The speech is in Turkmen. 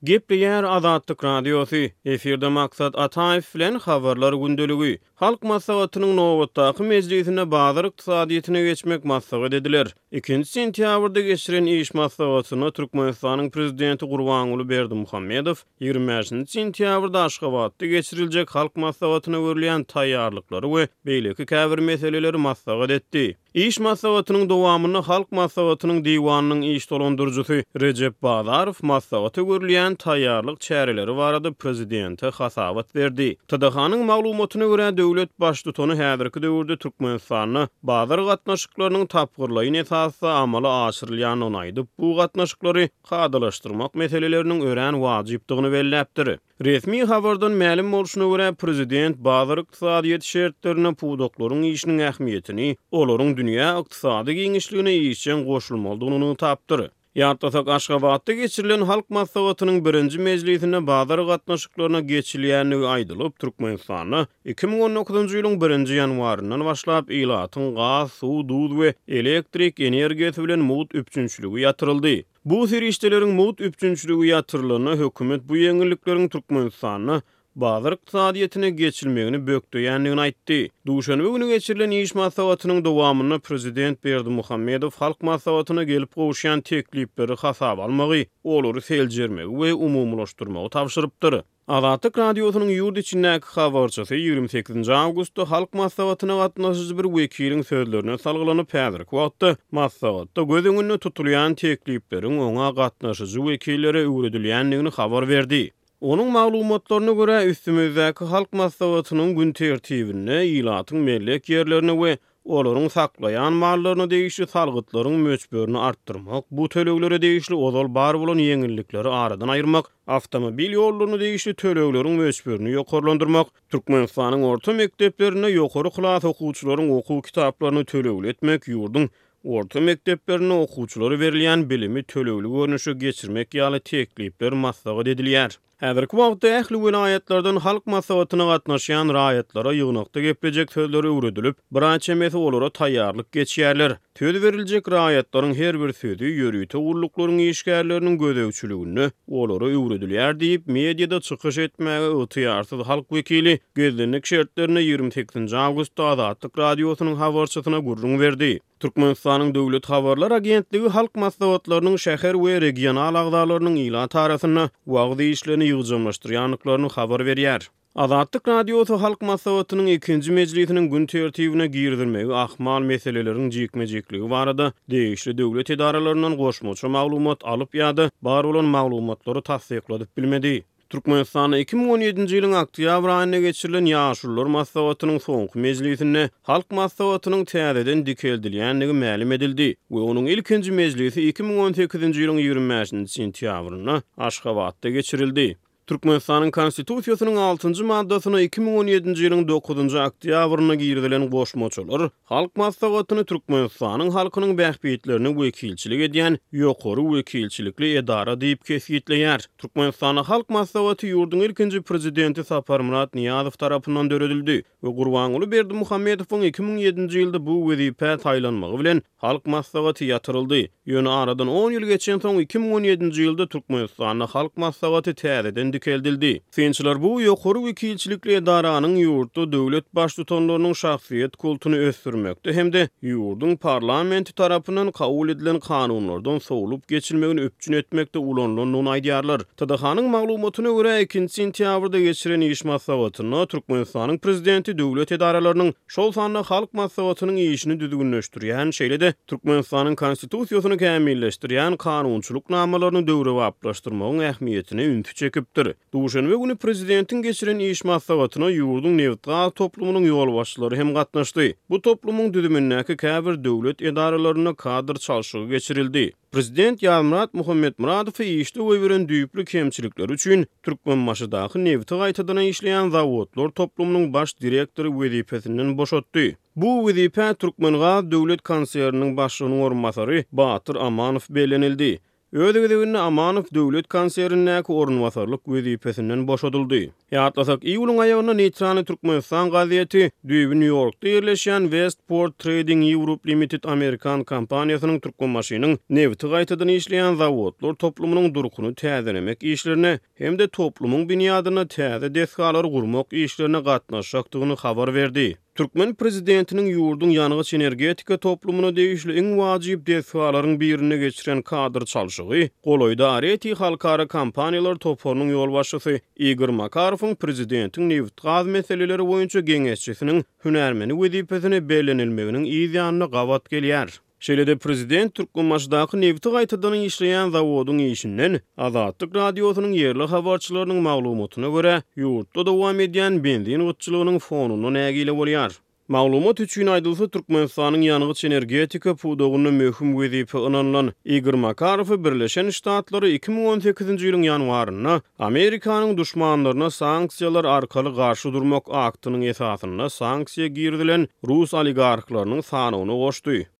Gepleýär Azatlyk Radiosy, efirde Maksat Ataýew bilen Habarlar gündeligi. Halk Maslahatynyň nobatdaky mejlisinde bazar ykdysadyýetine geçmek maslahat ediler. Ikinji sentýabrda geçiren iş maslahatynda Türkmenistanyň Prezidenti Gurbanguly Berdimuhamedow 25-nji sentýabrda Aşgabatda geçiriljek Halk Maslahatyna görülýän taýýarlyklary we beýleki käbir meseleleri maslahat etdi. Iş maslahatynyň dowamynda Halk Maslahatynyň Diwanynyň iş dolandyryjysy Rejep Bazarow maslahata görülýän taýýarlyk çäreleri barada prezidente hasabat berdi. TDH-nyň maglumatyna görä, döwlet Baştutany häzirki döwürde Türkmenistanda bazar gatnaşyklarynyň tapgyrlaýyn esasda amala aşyrylýandygyny aýdyp, bu gatnaşyklary kadalaşdyrmak meseleleriniň örän wajypdygyny belläpdir. Resmi habardan mälim bolşuna görä, prezident bazar ykdysadyýeti şertlerinde pudaklaryň işiniň ähmiýetini, olaryň dünýä ykdysady giňişligine işjeň goşulmalydygyny nygtapdyr. Ýatlasak, Aşgabatda geçirilen Halk Maslahatynyň birinji mejlisinde bazar gatnaşyklaryna geçilýändigi aýdylyp, Türkmenistanda 2019-njy ýylyň birinji ýanwaryndan başlap ilatyň gaz, suw, duz we elektrik energiýasy bilen mugt üpjünçiligi ýatyryldy. Bu serişdeleriň mugt üpjünçiligi ýatyrylanda, hökümet bu ýeňillikleriň Türkmenistanda bazar ykdysadyýetine geçilmegini bökdeýändigini aýtdy. Duşenbe güni geçirilen iş maslahatynyň dowamynda prezident Berdimuhamedow Halk Maslahatyna gelip gowuşýan teklipleri hasaba almagy, olary seljermegi we umumylaşdyrmagy tabşyrypdyr. Azatlyk Radiosynyň ýurt içindäki habarçysy 28-nji awgustda Halk Maslahatyna gatnaşyjy bir wekiliň sözlerine salgylanyp, häzirki wagtda maslahatda göz öňünde tutulýan teklipleriň oňa gatnaşyjy wekillere öwredilýändigini habar berdi. Onuň maglumatlaryna görä, üstümizdäki Halk Maslahatynyň gün tertibinde ilatyň mellek ýerlerine we olaryň saklaýan mallaryna degişli salgytlaryň möçberini artdyrmak, bu töleglere degişli ozal bar bolan ýeňillikleri aradan aýyrmak, awtomobil ýollaryna degişli tölegleriň möçberini ýokarlandyrmak, Türkmenistanyň orta mekdeplerinde ýokary klas okuwçylaryň okuw kitaplaryny tölegli etmek, ýurduň orta mekdeplerinde okuwçylara berilýän bilimi tölegli görnüşe geçirmek ýaly teklipler maslahat edilýär. Häzirki wagtda ähli welaýatlardan Halk Maslahatyna gatnaşýan raýatlara ýygnakda geplejek sözleri öwredilip, bir aý çemesi olara taýýarlyk geçýärler. Söz beriljek raýatlaryň her bir sözi ýörite gulluklaryň işgärleriniň gözegçiliginde olara öwredilýär diýip, mediada çykyş etmäge ygtyýarsyz halk wekili gizlinlik şertlerinde 28-nji awgustda Azatlyk Radiosynyň habarçysyna gürrüň berdi. Türkmenistanyň Döwlet habarlar agentligi Halk maslahatlarynyň şäher we regional agzalarynyň ilat arasynda wagyz işlerini ýygjamlaşdyrýandyklaryny habar berýär. Azatlyk Radiosy Halk Maslahatynyň ikinji mejlisiniň gün tertibine girizilmegi ahmal meseleleriň jikme-jikligi barada degişli döwlet edaralaryndan goşmaça maglumat alyp ýa-da bar bolan maglumatlary tassykladyp bilmedi. Türkmenistanda 2017-nji ýylyň oktýabr aýynda geçirilen Ýaşulular maslahatynyň soňky mejlisinde Halk Maslahatynyň täzeden dikeldilýändigi mälim edildi we onuň ilkinji mejlisi 2018-nji ýylyň 25-nji sentýabrynda Aşgabatda geçirildi. Türkmenistanyň Konstitusiýasynyň altynjy maddasyna 2017-nji ýylyň dokuzynjy oktýabrynda girizilen goşmaçalar Halk Maslahatyny Türkmenistanyň halkynyň bähbitlerine wekilçilik edýän ýokary wekilçilikli edara diýip kesgitleýär. Türkmenistanda Halk Maslahaty ýurduň ilkinji Prezidenti Saparmyrat Nyýazow tarapyndan döredildi we Gurbanguly Berdimuhamedowyň 2007-nji ýylda bu wezipä saýlanmagy bilen Halk Maslahaty ýatyryldy. Ýöne aradan on ýyl geçensoň, 2017-nji ýylda Türkmenistanda Halk Maslahaty täzeden dikeldildi. Synçylar bu ýokary wekilçilikli edaranyň ýurtda döwlet baştutanlarynyň şahsyýet kultuny ösdürmekde hem-de ýurduň parlamenti tarapyndan kabul edilen kanunlardan sowlup geçilmegini üpjün etmekde ulanylandygyny aýdýarlar. TDH-nyň maglumatyna görä, ikinji sentýabrda geçiren iş maslahatynda Türkmenistanyň Prezidenti döwlet edaralarynyň, şol sanda Halk Maslahatynyň işini düzgünleşdirýän, şeýle-de Türkmenistanyň Konstitusiýasyny kämilleşdirýän kanunçylyk namalaryny döwrebaplaşdyrmagyň ähmiýetine ünsi çekipdir. Duşenbe güni prezidentiň geçiren iş maslahatyna ýurduň nebitgaz toplumynyň ýolbaşçylary hem gatnaşdy. Bu toplumyň düzümindäki käbir döwlet edaralarynda kadr çalşygy geçirildi. Prezident Ýazmyrat Muhammetmyradowy işde goýberen düýpli kemçilikleri üçin Türkmenbaşydaky nebiti gaýtadan işleýän zawodlar toplumynyň baş direktory wezipesinden boşatdy. Bu wezipä Türkmengaz döwlet konserniniň başlygynyň orunbasary Batyr Amanow bellenildi. Öz gezeginde Amanow döwlet konsernindäki orunbasarlyk wezipesinden boşadyldy. Ýatlasak, iýulyň aýagynda Neýtralnyý Türkmenistan gazeti düýbi Nýu-Ýorkda ýerleşýän Westport Trading Europe Limited amerikan kompaniýasynyň Türkmenbaşynyň nebiti gaýtadan işleýän zawodlar toplumynyň durkuny täzelemek işlerine hem-de toplumyň binýadynda täze desgalary gurmak işlerine gatnaşjakdygyny habar berdi. Türkmen prezidentiniň ýurduň ýangyç-energetika toplumyna degişli iň wajyp desgalaryň birinde geçiren kadr çalşygy golaýda Areti halkara kompaniýalar toparynyň ýolbaşçysy Igor Makarowyň prezidentiň nebitgaz meseleleri boýunça geňeşçisiniň hünärmeni wezipesine bellenilmeginiň yz ýanyna gabat gelýär. Şeýle-de prezident Türkmenbaşydaky nebiti gaýtadan işleýän zawodyň işinden, Azatlyk Radiosynyň ýerli habarçylarynyň maglumatyna görä, ýurtda dowam edýän benzin gytçylygynyň fonunda nägile bolýar. Maglumat üçin aýdylsa, Türkmenistanyň ýangyç-energetika pudagynda möhüm wezipe ynanylan Igor Makarowy Birleşen Ştatlary 2018-nji ýylyň ýanwarynda Amerikanyň duşmanlaryna sanksiýalar arkaly garşy durmak aktynyň esasynda sanksiýa girizilen rus oligarhlarynyň sanawyna goşdy.